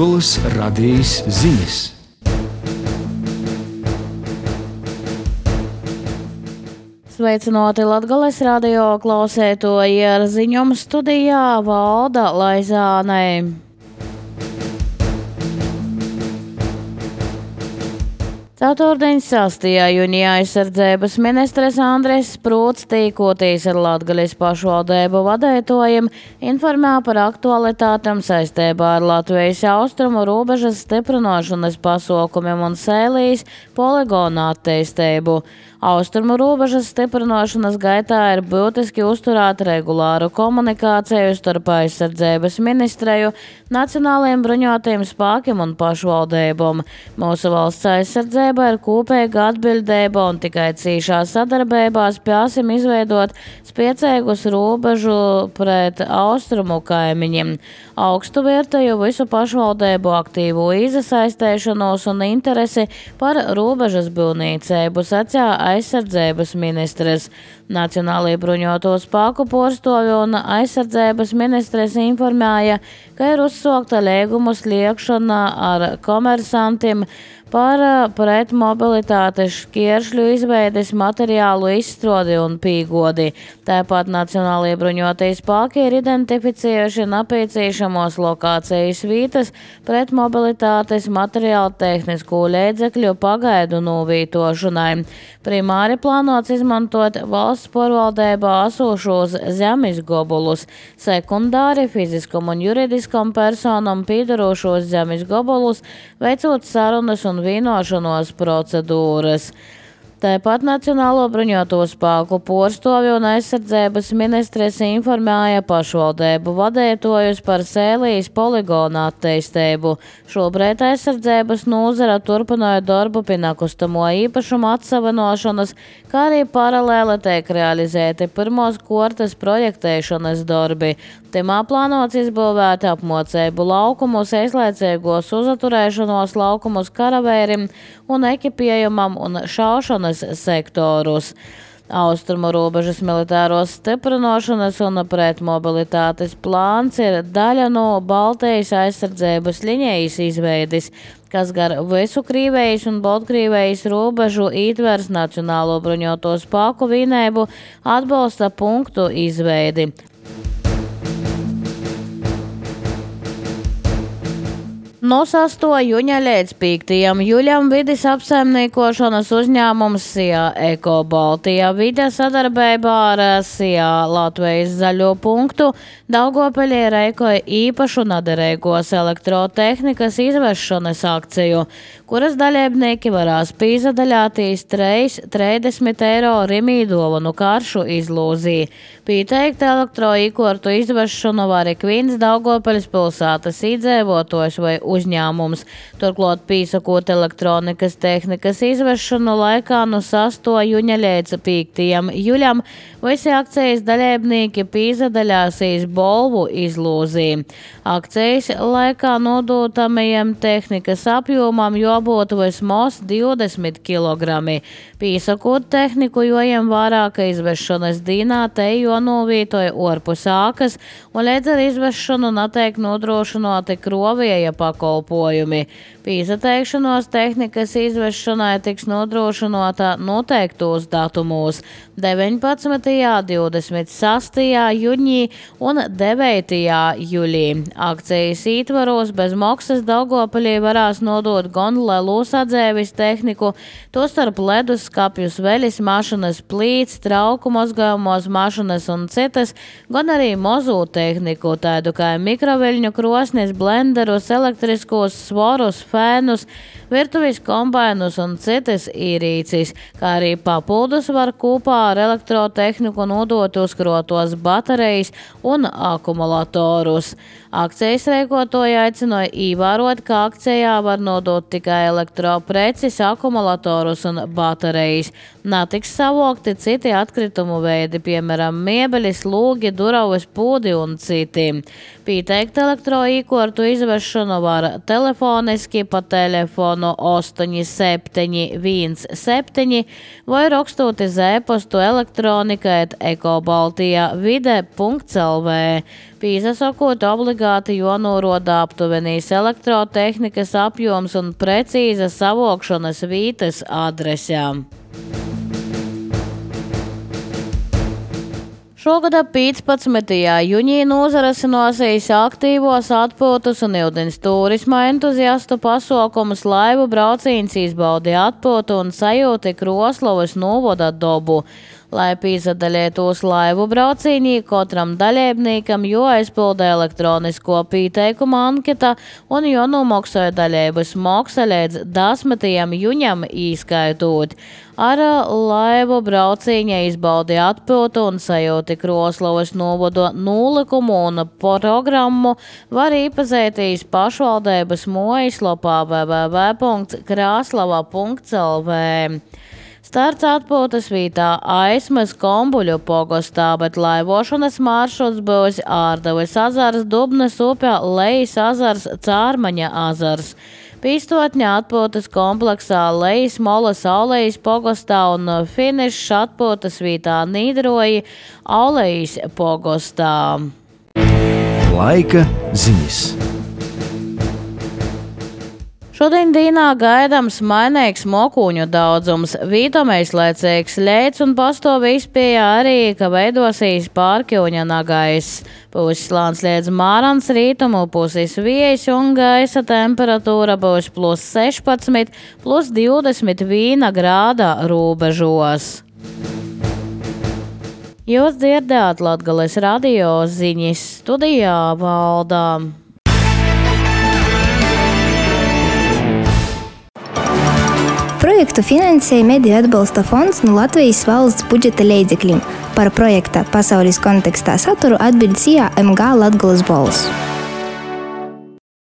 Latgoles radījis ziņas. Sveicināti Latgoles radio klausētoji, ar ziņojumu studijā Valda Laizānei. Ceturtdien 6. jūnijā aizsardzības ministrs Andris Sprūts tīkoties ar Latgoles pašvaldību vadītājiem informēja par aktualitātēm saistībā ar Latvijas austrumu robežas stiprināšanas pasākumiem un Sēlijas poligona attīstību. Austrumu robežas stiprināšanas gaitā ir būtiski uzturēt regulāru komunikāciju starp aizsardzības ministriju, nacionālajiem bruņotajiem spēkiem un pašvaldībām. Mūsu valsts aizsardzība ir kopīga atbildība un tikai cīšā sadarbībā spēsim izveidot spēcīgus robežu pret austrumu kaimiņiem. Augstu vērtēju visu pašvaldību aktīvu iesaistīšanos un interesi par robežas būvniecību, sacīja aizsardzības ministrs. Nacionālajie bruņoto spēku porstovi un aizsardzības ministrs informēja, ka ir uzsākta līgumu slēgšana ar komersantiem par pretmobilitātes šķēršļu izveides materiālu izstrādi un pīgodi. Tāpat Nacionālajie bruņotie spēki ir identificējuši nepieciešamos lokācijas vietas pretmobilitātes materiālu tehnisko līdzekļu pagaidu novītošanai. Primāri plānots izmantot valsts pārvaldībā esošos zemes gabalus, sekundāri fiziskam un juridiskam personam piedarošos zemes gabalus, veicot sarunas un vienošanos procedūras. Tāpat Nacionālo bruņoto spēku porstovi un aizsardzības ministres informēja pašvaldību vadītājus par Sēlijas poligona attīstību. Šobrīd aizsardzības nozara turpināja darbu pie nekustamo īpašumu atsavinošanas, kā arī paralēli tiek realizēti pirmos kārtas projektēšanas darbi. Timā plānots izbūvēt apmocību laukumus, īslaicīgos uzaturēšanos laukumus karavērim un ekipējumam un šaušanas sektorus. Austrumu robežas militāros stiprināšanas un pretmobilitātes plāns ir daļa no Baltijas aizsardzības līnijas izveides, kas gar visu Krīvijas un Baltkrievijas robežu ietvers Nacionālo bruņoto spēku vienību atbalsta punktu izveidi. No 6. jūņa līdz 5. jūļam vides apsaimniekošanas uzņēmums SIA Eko Baltija vide sadarbībā ar SIA Latvijas zaļo punktu Daugavpilī rīkoja īpašu nederīgos elektrotehnikas izvešanas akciju, kuras dalībnieki varēs pīzadaļātīs 30 eiro Rimī dāvanu karšu izlūzī. Pieteikti elektroīkortu izvešanu var ik viens Daugavpiļas pilsētas iedzīvotājs vai uzņēmums. Turklāt pīsakot elektronikas tehnikas izvešanu laikā no 6. jūņa līdz 5. jūļam visi akcijas dalībnieki pīzadaļāsīs bolvu izlūzī. Akcijas laikā nodotamajam tehnikas apjomam jābūt vismaz 20 kg. Pīsakot tehniku jojam vairāk izvešanas dīnā te jonovītoja orpus ākas un līdz ar izvešanu netiek nodrošināti krovieja pakalpojumi. Pīsateikšanos tehnikas izvešanai tiks nodrošināta noteiktos datumos 19., 26. jūņī un 9. jūļī. Akcijas ietvaros bez maksas Daugavpilī varēs nodot gan lielos atdzēvis tehniku, tostarp ledus skapjus, veļas mašinas, plīts, trauku mazgājumos mašinas un citas, gan arī mazo tehniku, tādu kā mikroviļņu krosnis, blenderus, elektriskos svarus, fēnus, virtuves kombainus un citas ierīces, kā arī papildus var kopā ar elektrotehniku nodot uzkrotos baterijas un akumulatorus. Akcijas rīkotāji aicināja ievērot, ka akcijā var nodot tikai elektropreces, akumulatorus un baterijas. Netiks savokti citi atkritumu veidi, piemēram, mēbeles, lūgi, duraues, pūdi un citi. Pieteikt elektroīkortu izvešanu var telefoniski pa telefonu 8717 vai rakstot uz e-pastu elektronika@ekobaltijavide.lv. Pīsasakot obligāti obligāti jānoroda aptuvenīs elektrotehnikas apjoms un precīza savokšanas vītes adresēm. Šogad 15. jūnijā nozarasinosies aktīvos atpūtas un ūdens turisma entuziastu pasaukumus laivu braucīns izbaudi atpūtu un sajūti Kroslavas novoda dobu. Lai pīsadalētos laivu braucīnī, katram dalībniekam jāaizpilda elektronisko pieteikumu anketa un jānomaksāja dalības maksa līdz 10. jūņam īskaitot. Ar laivu braucīņa izbaudi atpūtu un sajūti Kroslavas novoda nolikumu un programmu var īpazētīs pašvaldības mājaslapā www.kraslava.lv. Starts atpūtas vītā Aismas Kombuļu pogostā, bet laivošanas maršruts būs Ārdavas azars, Dubnas upē, Lejas azars, Cārmaņa azars. Pīstotņa atpūtas kompleksā Lejas Molas Aulejas pogostā un finišs atpūtas vītā Nīdroji Aulejas pogostā. Laika ziņas. Šodien dīnā gaidams mainīgs mokūņu daudzums, vītamais laicīgs leids un pastāvi izpēja arī, ka veidosīs pārkļuņa nagais. Būs slāns līdz mārans rītumu, pusis viejs un gaisa temperatūra būs +16, +21 grāda rūbežos. Jūs dzirdējāt Latgales radio ziņas, studijā Valdā. Projektu finansēja Mediju atbalsta fonds no Latvijas valsts budžeta līdzekļiem. Par projekta pasaules kontekstā saturu atbild CIA MG Latgales balss.